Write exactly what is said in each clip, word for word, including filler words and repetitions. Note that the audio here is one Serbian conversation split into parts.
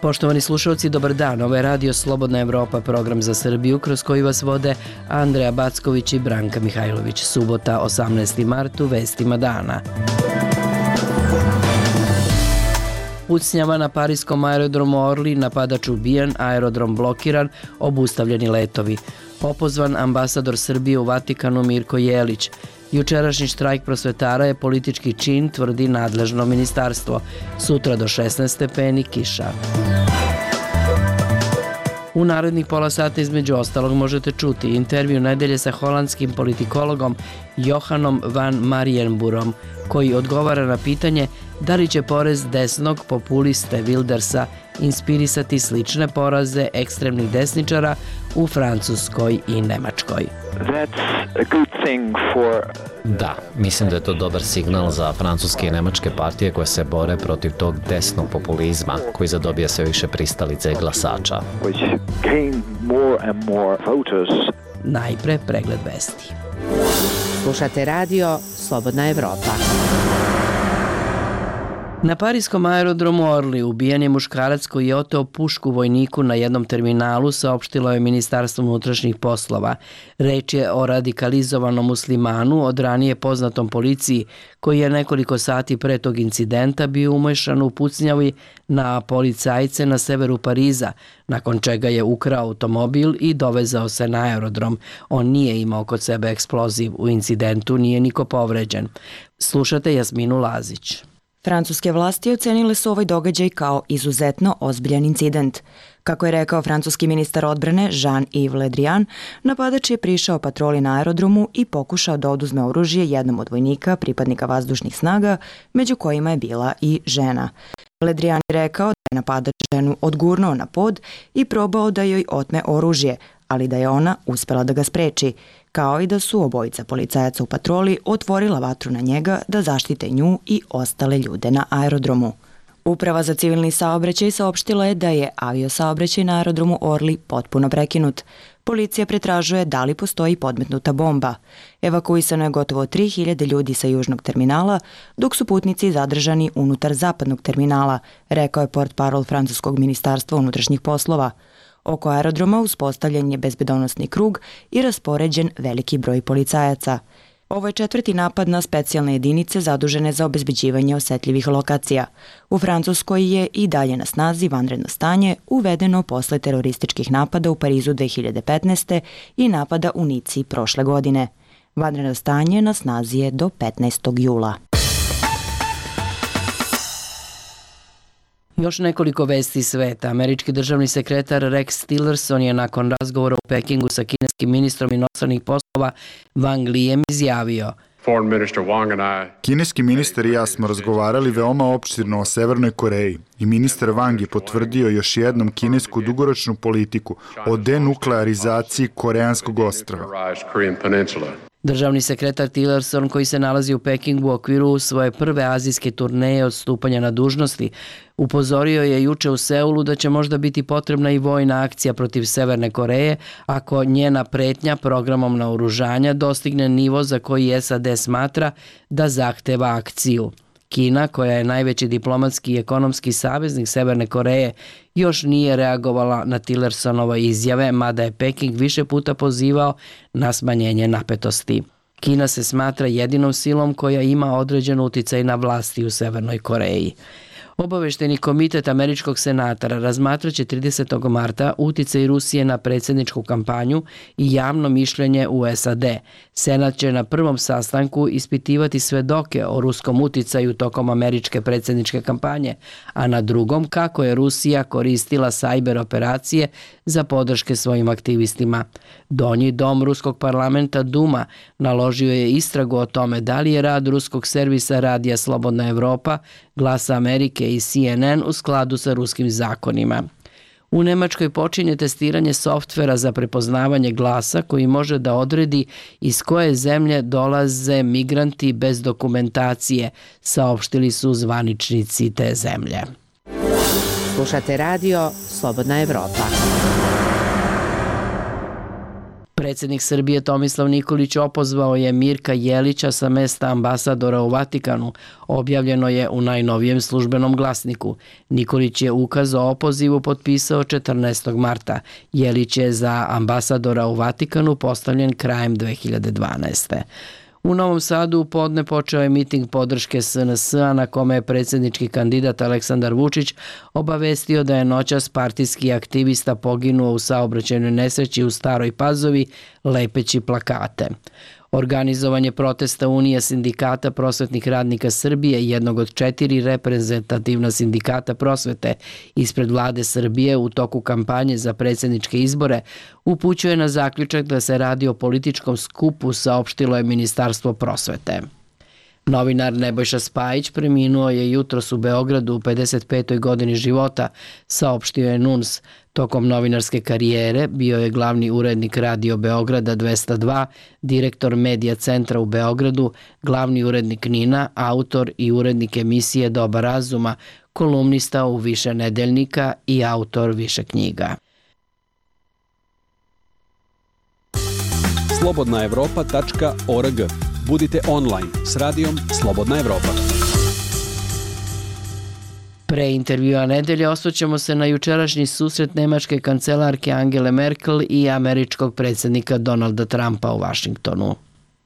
Poštovani slušalci, dobar dan. Ovo je Radio Slobodna Evropa, program za Srbiju kroz koji vas vode Andreja Backović i Branka Mihajlović. Subota, osamnaesti mart, u vestima dana. Pucnjava na pariskom aerodromu Orly, napadač ubijen, aerodrom blokiran, obustavljeni letovi. Opozvan ambasador Srbije u Vatikanu Mirko Jelić. Jučerašnji štrajk prosvetara je politički čin, tvrdi nadležno ministarstvo. Sutra do šesnaest stepeni kiša. U narednih pola sata između ostalog možete čuti intervju nedelje sa holandskim politikologom Johanom van Marienburom, koji odgovara na pitanje da li će porez desnog populiste Wildersa inspirisati slične poraze ekstremnih desničara u Francuskoj i Nemačkoj. Da, mislim da je to dobar signal za francuske i nemačke partije koje se bore protiv tog desnog populizma koji zadobija sve više pristalice glasača. Najpre pregled vesti. Slušate radio Slobodna Evropa. Na pariskom aerodromu Orly ubijen je muškarac koji je oteo pušku vojniku na jednom terminalu, saopštilo je Ministarstvo unutrašnjih poslova. Reč je o radikalizovanom muslimanu, od ranije poznatom policiji, koji je nekoliko sati pre tog incidenta bio umešan u pucnjavi na policajce na severu Pariza, nakon čega je ukrao automobil i dovezao se na aerodrom. On nije imao kod sebe eksploziv. U incidentu nije niko povređen. Slušate Jasminu Lazić. Francuske vlasti ocenile su ovaj događaj kao izuzetno ozbiljan incident. Kako je rekao francuski ministar odbrane Jean-Yves Le Drian, napadač je prišao patroli na aerodromu i pokušao da oduzme oružje jednom od vojnika, pripadnika vazdušnih snaga, među kojima je bila i žena. Le Drian je rekao da je napadač ženu odgurnuo na pod i probao da joj otme oružje, ali da je ona uspela da ga spreči, kao i da su obojica policajaca u patroli otvorila vatru na njega da zaštite nju i ostale ljude na aerodromu. Uprava za civilni saobraćaj saopštila je da je aviosaobraćaj na aerodromu Orly potpuno prekinut. Policija pretražuje da li postoji podmetnuta bomba. Evakuisano je gotovo tri hiljade ljudi sa južnog terminala, dok su putnici zadržani unutar zapadnog terminala, rekao je portparol francuskog ministarstva unutrašnjih poslova. Oko aerodroma uspostavljen je bezbedonosni krug i raspoređen veliki broj policajaca. Ovo je četvrti napad na specijalne jedinice zadužene za obezbeđivanje osetljivih lokacija. U Francuskoj je i dalje na snazi vanredno stanje uvedeno posle terorističkih napada u Parizu dve hiljade petnaeste. i napada u Nici prošle godine. Vanredno stanje na snazi je do petnaestog jula. Još nekoliko vesti sveta. Američki državni sekretar Rex Tillerson je nakon razgovora u Pekingu sa kineskim ministrom inostranih poslova Wang Lijem izjavio: Kineski ministar i ja smo razgovarali veoma opširno o Severnoj Koreji i ministar Wang je potvrdio još jednom kinesku dugoročnu politiku o denuklearizaciji Koreanskog ostrva. Državni sekretar Tillerson, koji se nalazi u Pekingu u okviru svoje prve azijske turneje od stupanja na dužnosti, upozorio je juče u Seulu da će možda biti potrebna i vojna akcija protiv Severne Koreje ako njena pretnja programom naoružanja dostigne nivo za koji S A D smatra da zahteva akciju. Kina, koja je najveći diplomatski i ekonomski saveznik Severne Koreje, još nije reagovala na Tillersonove izjave, mada je Peking više puta pozivao na smanjenje napetosti. Kina se smatra jedinom silom koja ima određen uticaj na vlasti u Severnoj Koreji. Obavešteni komitet Američkog senata razmatraće tridesetog marta uticaj Rusije na predsjedničku kampanju i javno mišljenje u S A D. Senat će na prvom sastanku ispitivati svedoke o ruskom uticaju tokom američke predsjedničke kampanje, a na drugom kako je Rusija koristila sajber operacije za podrške svojim aktivistima. Donji dom ruskog parlamenta Duma naložio je istragu o tome da li je rad ruskog servisa Radija Slobodna Evropa, Glasa Amerike i C N N u skladu sa ruskim zakonima. U Nemačkoj počinje testiranje softvera za prepoznavanje glasa koji može da odredi iz koje zemlje dolaze migranti bez dokumentacije, saopštili su zvaničnici te zemlje. Slušate radio Slobodna Evropa. Predsjednik Srbije Tomislav Nikolić opozvao je Mirka Jelića sa mesta ambasadora u Vatikanu, objavljeno je u najnovijem službenom glasniku. Nikolić je ukaz o opozivu potpisao četrnaestog marta. Jelić je za ambasadora u Vatikanu postavljen krajem dve hiljade dvanaeste. U Novom Sadu u podne počeo je miting podrške S N S-a na kome je predsjednički kandidat Aleksandar Vučić obavestio da je noćas partijski aktivista poginuo u saobraćajnoj nesreći u Staroj Pazovi lepeći plakate. Organizovanje protesta Unije sindikata prosvetnih radnika Srbije, jednog od četiri reprezentativna sindikata prosvete ispred vlade Srbije u toku kampanje za predsjedničke izbore, upućuje na zaključak da se radi o političkom skupu, saopštilo je Ministarstvo prosvete. Novinar Nebojša Spajić preminuo je jutros u Beogradu u pedeset petoj godini života, saopštio je N U N S. Tokom novinarske karijere bio je glavni urednik Radio Beograda dvesta dva, direktor Medija centra u Beogradu, glavni urednik Nina, autor i urednik emisije Doba razuma, kolumnista u više nedeljnika i autor više knjiga. slobodna evropa tačka org. Budite online s radijom Slobodna Evropa. Pre intervjua nedelje osvrćemo se na jučerašnji susret nemačke kancelarke Angele Merkel i američkog predsjednika Donalda Trumpa u Vašingtonu.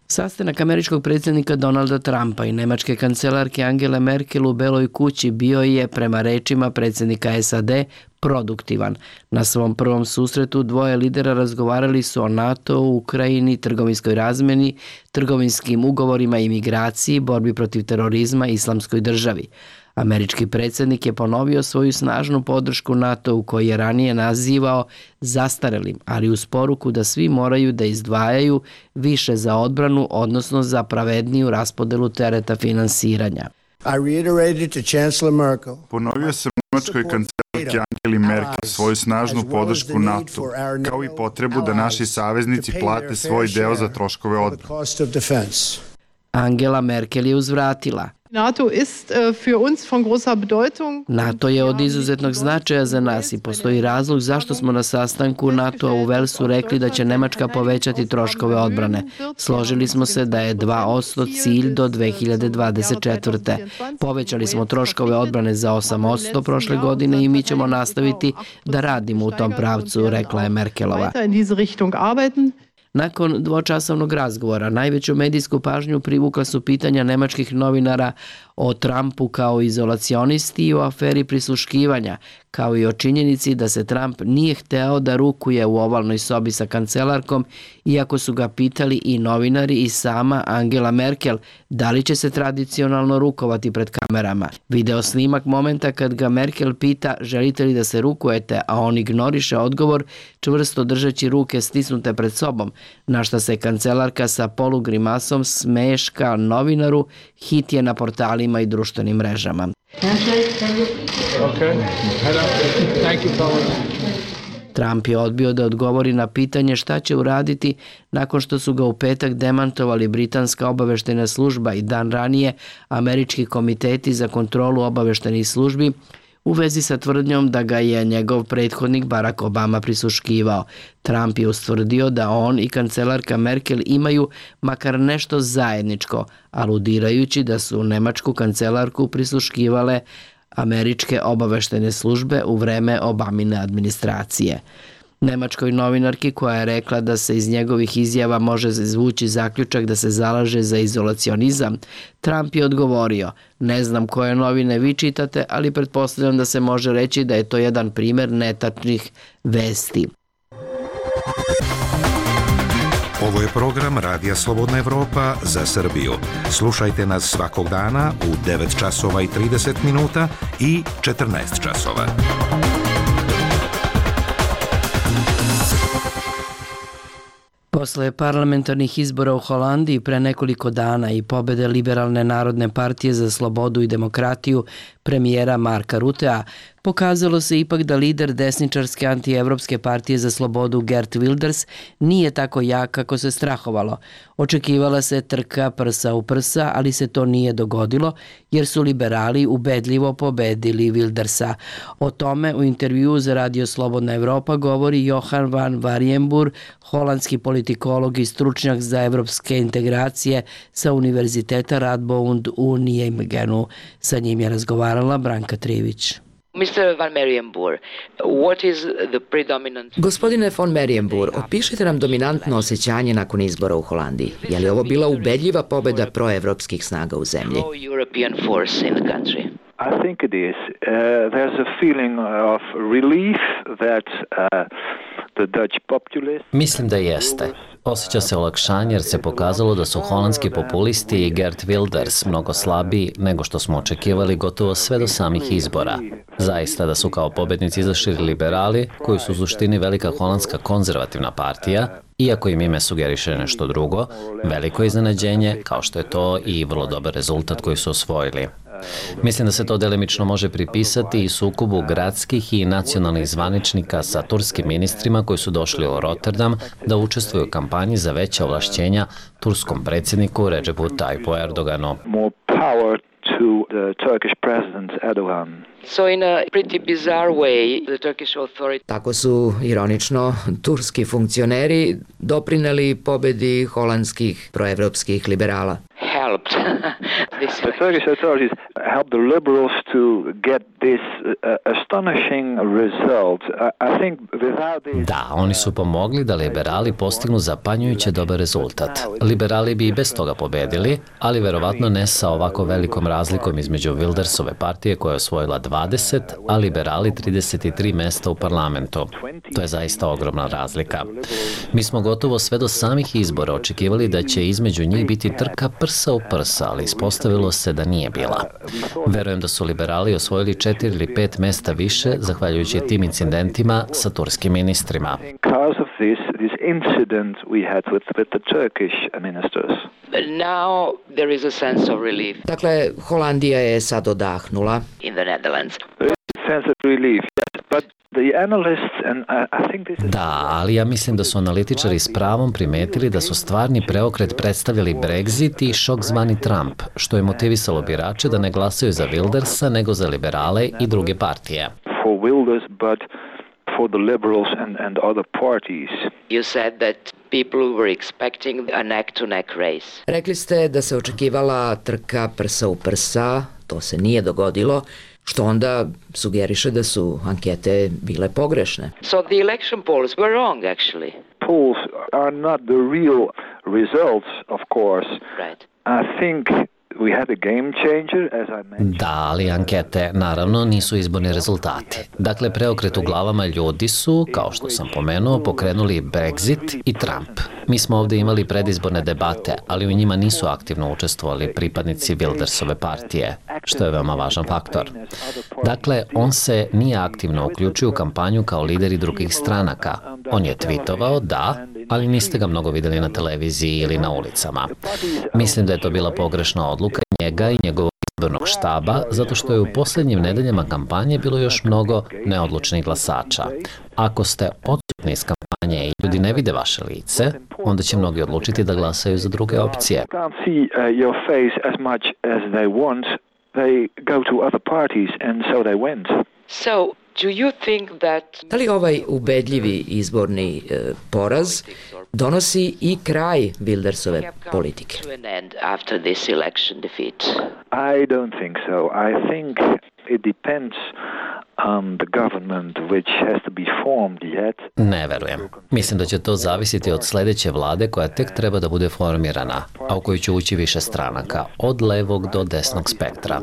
Sastanak američkog predsjednika Donalda Trumpa i nemačke kancelarke Angele Merkel u Beloj kući bio je, prema rečima predsjednika S A D, produktivan. Na svom prvom susretu dvoje lidera razgovarali su o NATO, Ukrajini, trgovinskoj razmeni, trgovinskim ugovorima i migraciji, borbi protiv terorizma i islamskoj državi. Američki predsjednik je ponovio svoju snažnu podršku NATO-u koji je ranije nazivao zastarelim, ali uz poruku da svi moraju da izdvajaju više za odbranu, odnosno za pravedniju raspodelu tereta finansiranja. Ponovio sam nemačkoj kancelarki Angeli Merkel svoju snažnu podršku NATO, kao i potrebu da naši saveznici plate svoj deo za troškove odbrane. Angela Merkel je uzvratila: NATO ist für uns von großer Bedeutung. NATO je od izuzetnog značaja za nas i postoji razlog zašto smo na sastanku NATO-a u Velsu rekli da će Nemačka povećati troškove odbrane. Složili smo se da je dva posto cilj do dve hiljade dvadeset četvrte. Povećali smo troškove odbrane za osam posto prošle godine i mi ćemo nastaviti da radimo u tom pravcu, rekla je Merkelova. Nakon dvočasovnog razgovora najveću medijsku pažnju privukla su pitanja nemačkih novinara o Trumpu kao izolacionisti i o aferi prisluškivanja, kao i o činjenici da se Trump nije hteo da rukuje u ovalnoj sobi sa kancelarkom, iako su ga pitali i novinari i sama Angela Merkel da li će se tradicionalno rukovati pred kamerama. Video snimak momenta kad ga Merkel pita želite li da se rukujete, a on ignoriše odgovor čvrsto držeći ruke stisnute pred sobom, na šta se kancelarka sa polugrimasom smeška novinaru, hit je na portalima i društvenim mrežama. Trump je odbio da odgovori na pitanje šta će uraditi nakon što su ga u petak demantovali britanska obaveštajna služba i dan ranije američki komiteti za kontrolu obaveštajnih službi u vezi sa tvrdnjom da ga je njegov prethodnik Barack Obama prisluškivao. Trump je ustvrdio da on i kancelarka Merkel imaju makar nešto zajedničko, aludirajući da su nemačku kancelarku prisluškivale američke obaveštajne službe u vreme Obamine administracije. Nemačkoj novinarki koja je rekla da se iz njegovih izjava može izvući zaključak da se zalaže za izolacionizam, Trump je odgovorio: ne znam koje novine vi čitate, ali pretpostavljam da se može reći da je to jedan primer netačnih vesti. Ovo je program Radija Slobodna Evropa za Srbiju. Slušajte nas svakog dana u devet časova i trideset minuta i četrnaest časova. Posle parlamentarnih izbora u Holandiji pre nekoliko dana i pobede Liberalne narodne partije za slobodu i demokratiju, premijera Marka Rutea, pokazalo se ipak da lider desničarske antievropske partije za slobodu Geert Wilders nije tako jak kako se strahovalo. Očekivala se trka prsa u prsa, ali se to nije dogodilo jer su liberali ubedljivo pobedili Wildersa. O tome u intervjuu za Radio Slobodna Evropa govori Johan van Warjenburg, holandski politikolog i stručnjak za evropske integracije sa Univerziteta Radboud u Nijemegenu. Sa njim je razgovarala Branka Trivić. mister Van Marienburg, what is the predominant... Gospodine von Marienburg, opišite nam dominantno osjećanje nakon izbora u Holandiji. Je li ovo bila ubedljiva pobeda proevropskih snaga u zemlji? Pro-European force in the country. I think it is. Uh, there's a feeling of relief that uh, the Dutch populace... Mislim da jeste. Osjeća se olakšanje jer se pokazalo da su holandski populisti i Geert Wilders mnogo slabiji nego što smo očekivali gotovo sve do samih izbora. Zaista da su kao pobednici izašli liberali, koji su u suštini velika holandska konzervativna partija, iako im ime sugeriše nešto drugo, veliko iznenađenje, kao što je to i vrlo dobar rezultat koji su osvojili. Mislim da se to delimično može pripisati i sukobu gradskih i nacionalnih zvaničnika sa turskim ministrima koji su došli u Rotterdam da učestvuju u kampanji za veća ovlašćenja turskom predsjedniku Recepu Tayyipu Erdoganu. To the Turkish president Erdogan. So in a pretty bizarre way, the Turkish authority... Tako su, ironično, turski funkcioneri doprineli pobedi holandskih proevropskih liberala. Helped. The Turkish authorities helped the liberals to get this uh, astonishing result. I, I think without this... Da, oni su pomogli da liberali postignu zapanjujuće dobar rezultat. Liberali bi i bez toga pobedili, ali verovatno ne sa ovako velikom razlikom između Wildersove partije koja je osvojila dvadeset, a liberali trideset tri mesta u parlamentu. To je zaista ogromna razlika. Mi smo gotovo sve do samih izbora očekivali da će između njih biti trka prsa u prsa, ali ispostavilo se da nije bila. Verujem da su liberali osvojili četiri ili pet mesta više zahvaljujući tim incidentima sa turskim ministrima. Now there is a sense of relief. Dakle, Holandija je sad odahnula. In the Netherlands. Sense of relief, yes, but the analysts and I think this is... Da, ali ja mislim da su analitičari s pravom primetili da su stvarni preokret predstavljali Brexit i šok zvani Trump, što je motivisalo birače da ne glasaju za Wildersa nego za liberale i druge partije. For Wilders, but for the liberals and and other parties. You said that people were expecting a neck-to-neck race. Rekli ste da se očekivala trka prsa u prsa, to se nije dogodilo, što onda sugeriše da su ankete bile pogrešne. So the election polls were wrong, actually. Polls are not the real results, of course. Right. I think we had a game changer, as I mentioned. Da, ali ankete naravno nisu izborni rezultati. Dakle, preokret u glavama ljudi su, kao što sam pomenuo, pokrenuli Brexit i Trump. Mi smo ovdje imali predizborne debate, ali u njima nisu aktivno učestvovali pripadnici Wildersove partije, što je veoma važan faktor. Dakle, on se nije aktivno uključio u kampanju kao lideri drugih stranaka. On je tweetovao, da, ali niste ga mnogo vidjeli na televiziji ili na ulicama. Mislim da je to bila pogrešna odluka njega i njegovog izbornog štaba, zato što je u posljednjim nedeljama kampanje bilo još mnogo neodlučnih glasača. Ako ste odsutni iz kampanje i ljudi ne vide vaše lice, onda će mnogi odlučiti da glasaju za druge opcije. So, do you think that... Da li ovaj ubedljivi izborni e, poraz donosi i kraj Wildersove politike? After this election defeat? I don't think so. I think it depends on the government which has to be formed yet. Ne verujem. Mislim da će to zavisiti od sljedeće vlade koja tek treba da bude formirana, a u koju će ući više stranaka, od levog do desnog spektra.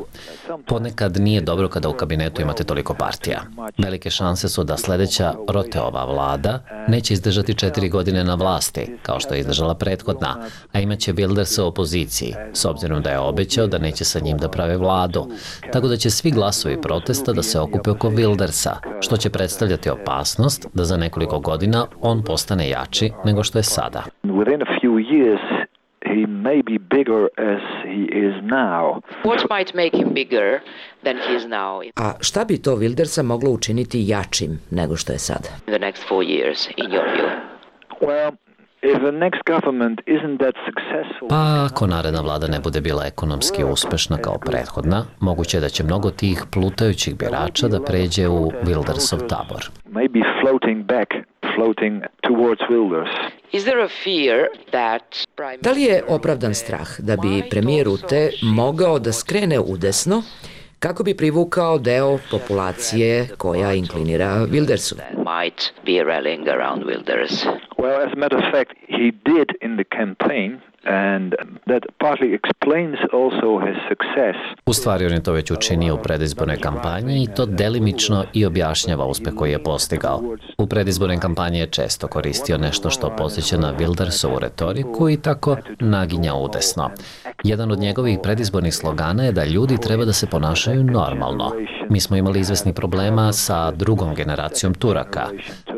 Ponekad nije dobro kada u kabinetu imate toliko partija. Velike šanse su da sljedeća Roteova vlada neće izdržati četiri godine na vlasti, kao što je izdržala prethodna, a imaće Wildersa u opoziciji, s obzirom da je obećao da neće sa njim da prave vladu. Tako da će svi glasovi protesta da se okupe oko Wildersa, što će predstavljati opasnost da za nekoliko godina on postane jači nego što je sada. Within a few years he may be bigger as he is now. What might make him bigger than he is now? A šta bi to Wildersa moglo učiniti jačim nego što je sada? In the next four years, in your view? Well, if the next government isn't that successful... Pa ako naredna vlada ne bude bila ekonomski uspešna kao prethodna, moguće je da će mnogo tih plutajućih birača da pređe u Wildersov tabor. Maybe floating back, floating towards Wilders. Is there a fear that... Da li je opravdan strah da bi premijer Rutte mogao da skrene udesno kako bi privukao deo populacije koja inklinira Wildersu? Might be rallying around Wilders. Well, as a matter of fact, he did in the campaign, and that partly explains also his success. U stvari on je to već učinio u predizbornoj kampanji i to delimično i objašnjava uspeh koji je postigao. U predizbornoj kampanji je često koristio nešto što podsjeća na Wildersovu retoriku i tako naginja udesno. Jedan od njegovih predizbornih slogana je da ljudi treba da se ponašaju normalno. Mi smo imali izvesnih problema sa drugom generacijom Turaka,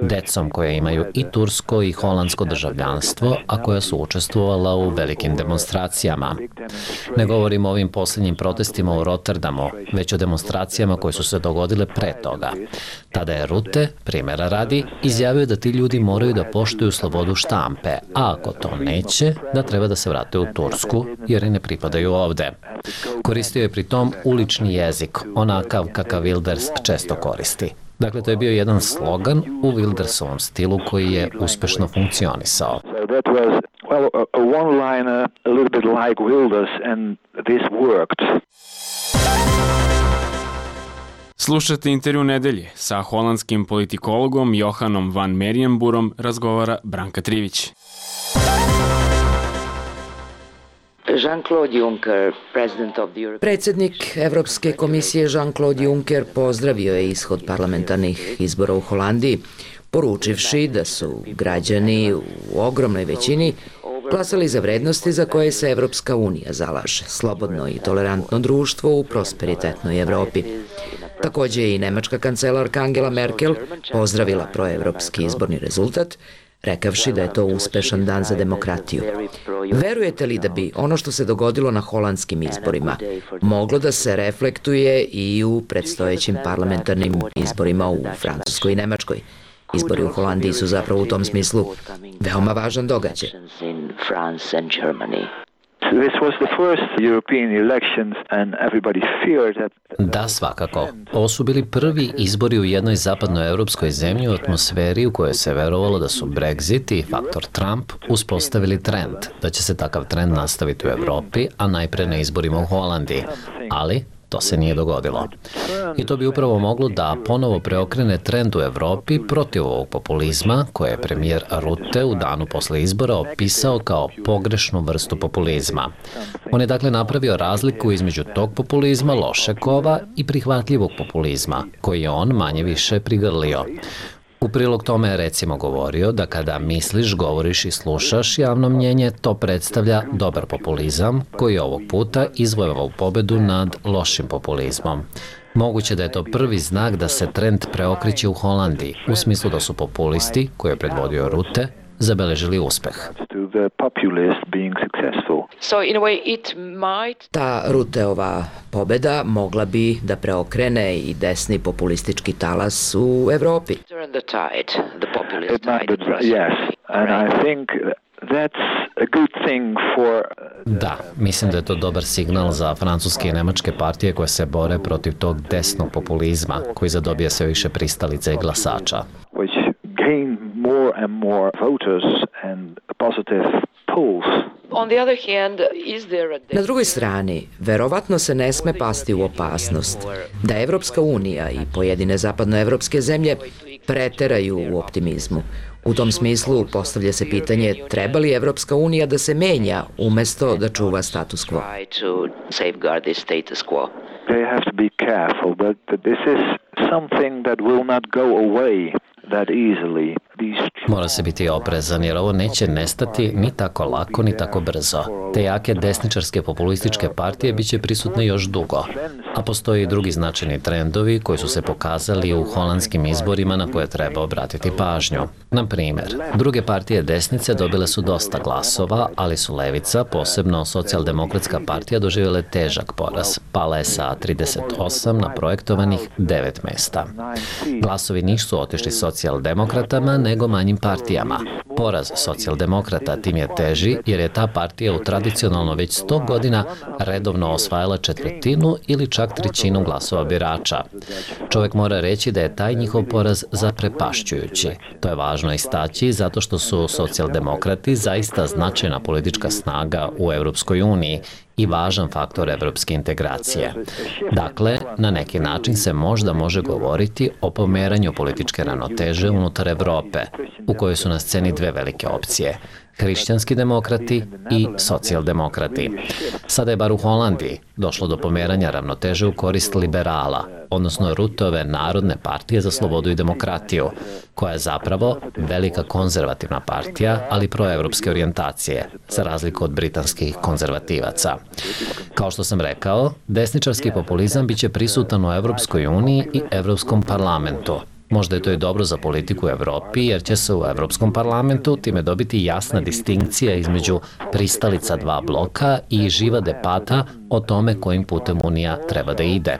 decom koja imaju i tursko i holandsko državljanstvo, a koja su učestvovala u velikim demonstracijama. Ne govorimo o ovim posljednjim protestima u Rotterdamu, već o demonstracijama koje su se dogodile pre toga. Tada je Rutte, primjera radi, izjavio da ti ljudi moraju da poštuju slobodu štampe, a ako to neće, da treba da se vrate u Tursku, jer i ne pripadaju ovde. Koristio je pri tom ulični jezik, onakav kakav Wilders često koristi. Dakle, to je bio jedan slogan u Wildersovom stilu koji je uspešno funkcionisao. So that was, well, a, a one-liner, a little bit like Wilders, and this worked. Slušate intervju nedelje. Sa holandskim politikologom Johanom van Merijenburom razgovara Branka Trivić. Jean-Claude Juncker, president of the European... Predsednik Evropske komisije Jean-Claude Juncker pozdravio je ishod parlamentarnih izbora u Holandiji, poručivši da su građani u ogromnoj većini glasali za vrednosti za koje se Evropska unija zalaže, slobodno i tolerantno društvo u prosperitetnoj Evropi. Takođe je i nemačka kancelarka Angela Merkel pozdravila proevropski izborni rezultat, rekavši da je to uspešan dan za demokratiju. Verujete li da bi ono što se dogodilo na holandskim izborima moglo da se reflektuje i u predstojećim parlamentarnim izborima u Francuskoj i Nemačkoj? Izbori u Holandiji su zapravo u tom smislu veoma važan događaj. This was the first European elections and everybody feared that... Da, svakako. Ovo su bili prvi izbori u jednoj zapadnoevropskoj zemlji u atmosferi u kojoj se verovalo da su Brexit i faktor Trump uspostavili trend, da će se takav trend nastaviti u Evropi, a najpre na izborima u Holandiji. Ali to se nije dogodilo. I to bi upravo moglo da ponovo preokrene trend u Evropi protiv ovog populizma, koje je premijer Rutte u danu posle izbora opisao kao pogrešnu vrstu populizma. On je dakle napravio razliku između tog populizma loše kova i prihvatljivog populizma, koji je on manje više prigrlio. U prilog tome je recimo govorio da kada misliš, govoriš i slušaš javno mnjenje, to predstavlja dobar populizam koji je ovog puta izvojevao pobedu nad lošim populizmom. Moguće da je to prvi znak da se trend preokreće u Holandiji, u smislu da su populisti, koje je predvodio Rutte, zabeležili uspeh. So in a way it might... Ta Rutteova pobeda mogla bi da preokrene i desni populistički talas u Evropi. The tide, the populist tide. Yes, and I think that's a good thing for... Da, mislim da je to dobar signal za francuske i nemačke partije koje se bore protiv tog desnog populizma, koji zadobija sve više pristalica i glasača. Which gain more and more voters and positive polls. On the other hand, is there a... Na drugoj strani, verovatno se ne sme pasti u opasnost da Evropska unija i pojedine zapadnoevropske zemlje preteraju u optimizmu. U tom smislu postavlja se pitanje treba li Evropska unija da se menja umesto da čuva status quo. They have to be careful, but this is something that will not go away that easily. Mora se biti oprezan jer ovo neće nestati ni tako lako ni tako brzo. Te jake desničarske populističke partije biće prisutne još dugo. A postoji i drugi značajni trendovi koji su se pokazali u holandskim izborima na koje treba obratiti pažnju. Na primer, druge partije desnice dobile su dosta glasova, ali su levica, posebno socijaldemokratska partija, doživjele težak poraz. Pala je sa trideset osam na projektovanih devet mesta. Glasovi nisu otišli socijaldemokratama, nego manjim partijama. Poraz socijaldemokrata tim je teži jer je ta partija u tradicionalno već sto godina redovno osvajala četvrtinu ili čak trećinu glasova birača. Čovjek mora reći da je taj njihov poraz zaprepašćujući. To je važno istaći zato što su socijaldemokrati zaista značajna politička snaga u Evropskoj uniji i važan faktor evropske integracije. Dakle, na neki način se možda može govoriti o pomeranju političke ravnoteže unutar Evrope, u kojoj su na sceni dve velike opcije – hrišćanski demokrati i socijaldemokrati. Sada je bar u Holandiji došlo do pomeranja ravnoteže u korist liberala, odnosno Rutove Narodne partije za slobodu i demokratiju, koja je zapravo velika konzervativna partija, ali proevropske orijentacije, za razliku od britanskih konzervativaca. Kao što sam rekao, desničarski populizam biće prisutan u Evropskoj uniji i Evropskom parlamentu. Možda je to i dobro za politiku u Evropi, jer će se u Evropskom parlamentu time dobiti jasna distinkcija između pristalica dva bloka i živa debata o tome kojim putem Unija treba da ide.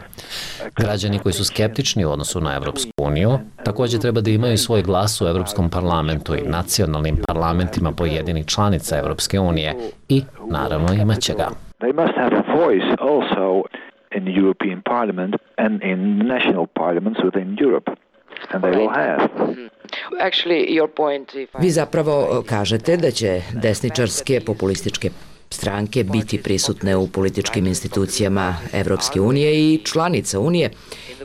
Građani koji su skeptični u odnosu na Evropsku uniju također treba da imaju svoj glas u Evropskom parlamentu i nacionalnim parlamentima pojedinih članica Evropske unije i, naravno, imaće ga. They must have a voice also in the European Parliament and in national parliaments within Europe. And they will have. Actually, your point, Vi zapravo kažete da će desničarske populističke stranke biti prisutne u političkim institucijama Evropske unije i članica Unije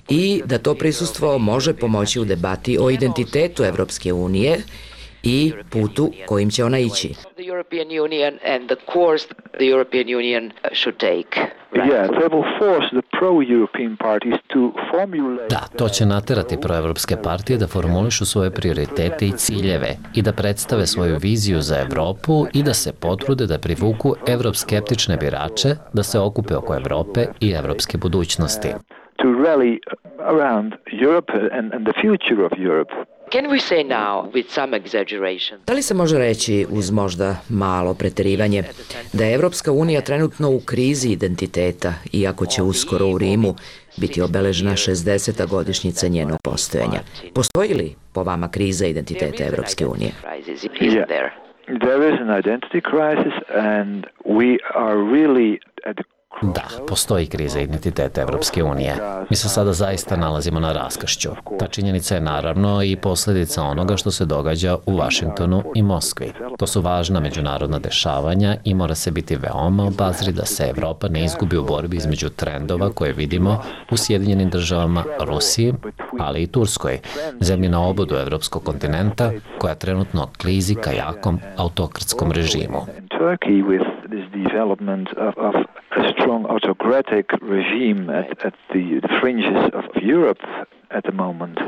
i da to prisustvo može pomoći u debati o identitetu Evropske unije i putu kojim će ona ići. The European Union and the course the European Union should take. Yeah, they will force the pro-European parties to formulate. Da, to će naterati proevropske partije da formulišu svoje prioritete i ciljeve i da predstave svoju viziju za Evropu i da se potrude da privuku evroskeptične birače da se okupe oko Evrope i evropske budućnosti. To rally around Europe and, and the future of Europe. Can we say now, with some exaggeration? Da li se može reći, uz možda malo preterivanje, da je Evropska unija trenutno u krizi identiteta, iako će uskoro u Rimu biti obeležena šezdeseta godišnjica njenog postojanja? Postoji li po vama kriza identiteta Evropske unije? Yeah. There is an identity crisis and we are really at the Da, postoji kriza identiteta Evropske unije. Mi se sada zaista nalazimo na raskršću. Ta činjenica je naravno i posljedica onoga što se događa u Vašingtonu i Moskvi. To su važna međunarodna dešavanja i mora se biti veoma obazri da se Evropa ne izgubi u borbi između trendova koje vidimo u Sjedinjenim državama, Rusiji, ali i Turskoj, zemlji na obodu evropskog kontinenta koja trenutno klizi ka jakom autokratskom režimu. A strong autocratic regime at, at the fringes of Europe at the moment.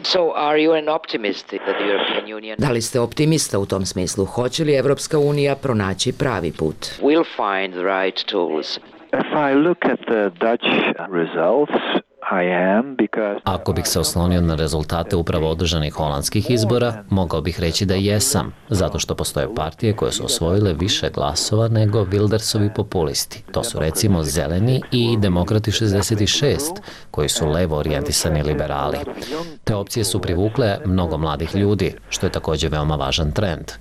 So are you an optimist that the European Union... Da li ste optimista u tom smislu? Hoće li Evropska unija pronaći pravi put? Will find the right tools. If I look at the Dutch results, I am because... Ako bih se oslonio na rezultate upravo održanih holandskih izbora, mogao bih reći da jesam, zato što postoje partije koje su osvojile više glasova nego Wildersovi populisti. To su recimo Zeleni i Demokrati šezdeset šest, koji su levo orijentisani liberali. Te opcije su privukle mnogo mladih ljudi, što je također veoma važan trend.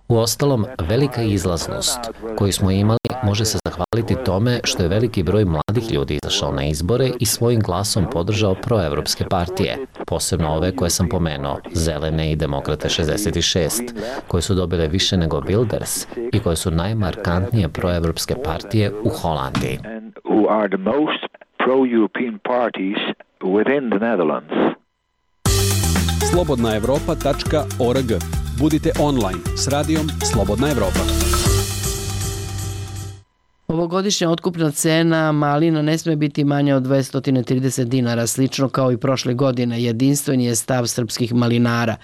Uostalom, velika izlaznost koju smo imali može se zahvaliti tome što je veliki broj mladih ljudi izašao na izbore i svojim glasom podržao proevropske partije, posebno ove koje sam pomenuo, Zelene i Demokrate šezdeset šest, koje su dobile više nego Wilders i koje su najmarkantnije proevropske partije u Holandiji. slobodna evropa tačka org. Budite online s radijom Slobodna Evropa. Ovogodišnja otkupna cena malina ne sme biti manja od dvesta trideset dinara, slično kao i prošle godine. Jedinstven je stav srpskih malinara.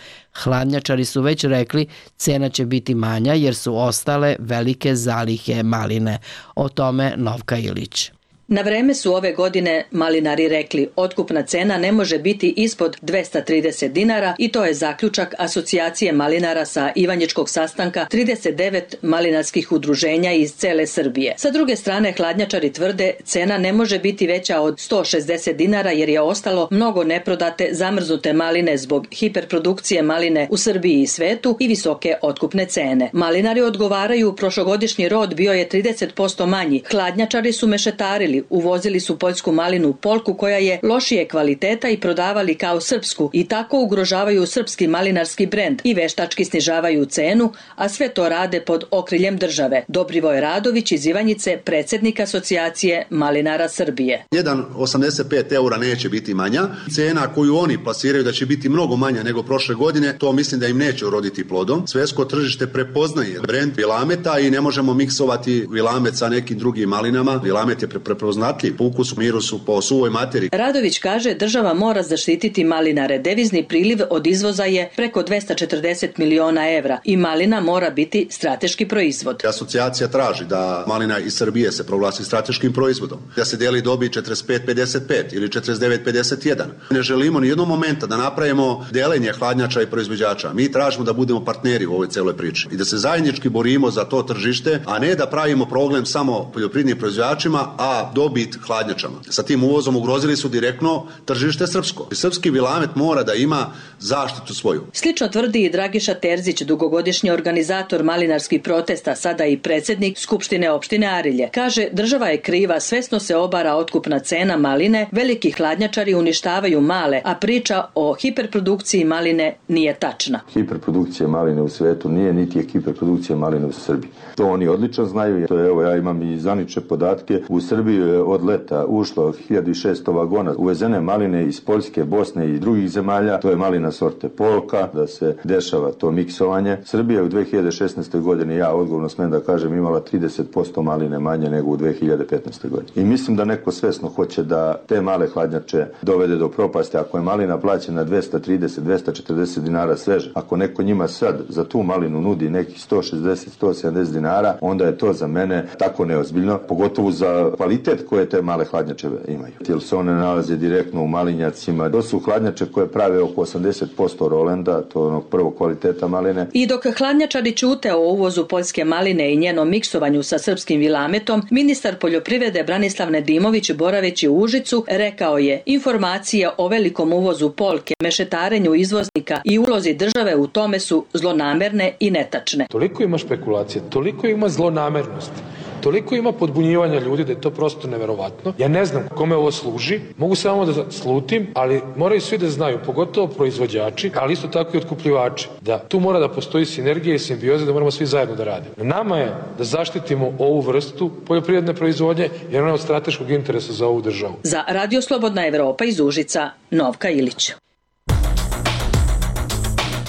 Hladnjačari su već rekli cena će biti manja jer su ostale velike zalihe maline. O tome Novka Ilić. Na vreme su ove godine malinari rekli otkupna cena ne može biti ispod dvesta trideset dinara i to je zaključak Asocijacije malinara sa Ivanjičkog sastanka trideset devet malinarskih udruženja iz cele Srbije. Sa druge strane, hladnjačari tvrde cena ne može biti veća od sto šezdeset dinara jer je ostalo mnogo neprodate zamrznute maline zbog hiperprodukcije maline u Srbiji i svetu i visoke otkupne cene. Malinari odgovaraju, prošlogodišnji rod bio je trideset posto manji. Hladnjačari su mešetarili, uvozili su poljsku malinu Polku koja je lošije kvaliteta i prodavali kao srpsku i tako ugrožavaju srpski malinarski brend i veštački snižavaju cenu, a sve to rade pod okriljem države. Dobrivoj Radović iz Ivanjice, predsjednik Asocijacije malinara Srbije. jedan zarez osamdeset pet eura neće biti manja. Cena koju oni plasiraju da će biti mnogo manja nego prošle godine, to mislim da im neće uroditi plodom. Svetsko tržište prepoznaje brend Vilameta i ne možemo miksovati Vilamet sa nekim drugim malinama. Vilamet je prepoznatljiv po ukusu, mirusu, po suvoj materiji. Radović kaže država mora zaštititi malinare. Devizni priliv od izvoza je preko dvesta četrdeset miliona evra i malina mora biti strateški proizvod. Asocijacija traži da malina iz Srbije se proglasi strateškim proizvodom, da se deli dobi četrdeset pet pedeset pet ili četrdeset devet pedeset jedan. Ne želimo ni jednog momenta da napravimo delenje hladnjača i proizvođača. Mi tražimo da budemo partneri u ovoj celoj priči i da se zajednički borimo za to tržište, a ne da pravimo problem samo poljoprivrednim proizvođačima, a dobit hladnjačama. Sa tim uvozom ugrozili su direktno tržište srpsko. Srpski Vilamet mora da ima zaštitu svoju. Slično tvrdi i Dragiša Terzić, dugogodišnji organizator malinarskih protesta, sada i predsjednik Skupštine opštine Arilje. Kaže, država je kriva, svesno se obara otkupna cena maline, veliki hladnjačari uništavaju male, a priča o hiperprodukciji maline nije tačna. Hiperprodukcija maline u svetu nije, niti je hiperprodukcija maline u Srbiji. To oni odlično znaju. To je, evo, ja imam i zvanične podatke. U Srbiju je od leta ušlo hiljadu šesto vagona uvezene maline iz Poljske, Bosne i drugih zemalja. To je malina sorte Polka, da se dešava to miksovanje. Srbija u dve hiljade šesnaestoj godini, ja odgovorno smem da kažem, imala trideset posto maline manje nego u dve hiljade petnaestoj godini. I mislim da neko svesno hoće da te male hladnjače dovede do propasti. Ako je malina plaćena dvesta trideset do dvesta četrdeset dinara sveže, ako neko njima sad za tu malinu nudi nekih sto šezdeset do sto sedamdeset dinara, onda je to za mene tako neozbiljno, pogotovo za kvalitet koje te male hladnjače imaju. Jer se one nalaze direktno u malinjacima. To su hladnjače koje prave oko osamdeset posto rolenda, to je onog prvog kvaliteta maline. I dok hladnjačari ćute o uvozu poljske maline i njenom miksovanju sa srpskim Vilametom, ministar poljoprivrede Branislav Nedimović, boraveći u Užicu, rekao je: informacije o velikom uvozu Polke, mešetarenju izvoznika i ulozi države u tome su zlonamerne i netačne. Toliko ima špekulacije, toliko ima zlonamernosti, toliko ima podbunjivanja ljudi da je to prosto neverovatno. Ja ne znam kome ovo služi, mogu samo da slutim, ali moraju svi da znaju, pogotovo proizvođači, ali isto tako i otkupljivači, da tu mora da postoji sinergija i simbioza, da moramo svi zajedno da radimo. Na nama je da zaštitimo ovu vrstu poljoprivredne proizvodnje, jer ona je od strateškog interesa za ovu državu. Za Radio Slobodna Evropa iz Užica, Novka Ilić.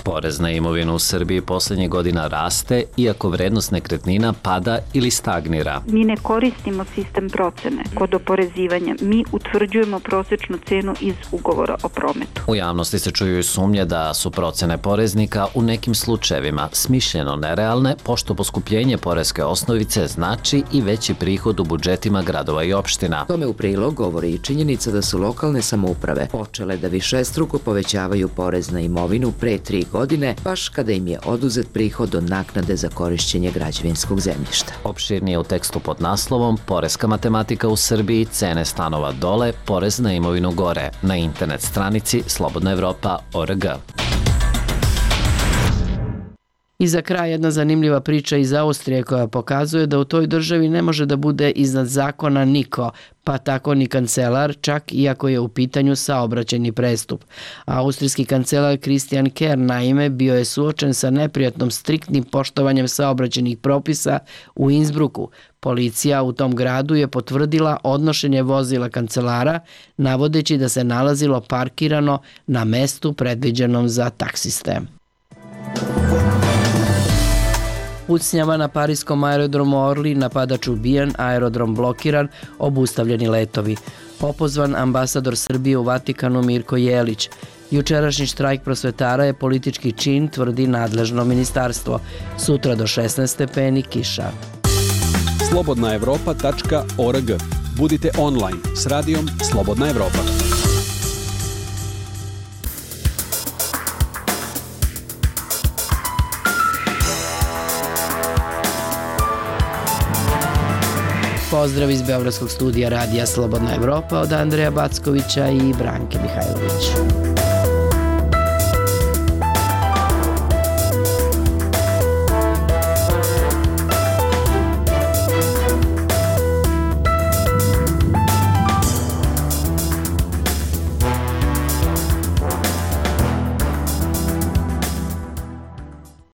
Porez na imovinu u Srbiji poslednjih godina raste, iako vrednost nekretnina pada ili stagnira. Mi ne koristimo sistem procene kod oporezivanja. Mi utvrđujemo prosečnu cenu iz ugovora o prometu. U javnosti se čuju i sumnje da su procene poreznika u nekim slučajevima smišljeno nerealne, pošto poskupljenje poreske osnovice znači i veći prihod u budžetima gradova i opština. Tome u prilog govori i činjenica da su lokalne samouprave počele da višestruko povećavaju porez na imovinu pre tri godine, baš kada im je oduzet prihod od naknade za korišćenje građevinskog zemljišta. Opširnije u tekstu pod naslovom Poreska matematika u Srbiji, cene stanova dole, porez na imovinu gore, na internet stranici slobodna evropa tačka org. I za kraj jedna zanimljiva priča iz Austrije koja pokazuje da u toj državi ne može da bude iznad zakona niko, pa tako ni kancelar, čak iako je u pitanju saobraćajni prestup. Austrijski kancelar Christian Kern, naime, bio je suočen sa neprijatnom striktnim poštovanjem saobraćajnih propisa u Innsbrucku. Policija u tom gradu je potvrdila odnošenje vozila kancelara, navodeći da se nalazilo parkirano na mestu predviđenom za taksiste. Pucnjava na parijskom aerodromu Orly, napadač ubijen, aerodrom blokiran, obustavljeni letovi. Opozvan ambasador Srbije u Vatikanu Mirko Jelić. Jučerašnji štrajk prosvetara je politički čin, tvrdi nadležno ministarstvo. Sutra do šesnaest stepeni kiša. slobodna evropa tačka org. Budite online s radijom Slobodna Evropa. Pozdrav iz Beogradskog studija radija Slobodna Evropa od Andreja Backovića i Branke Mihajlović.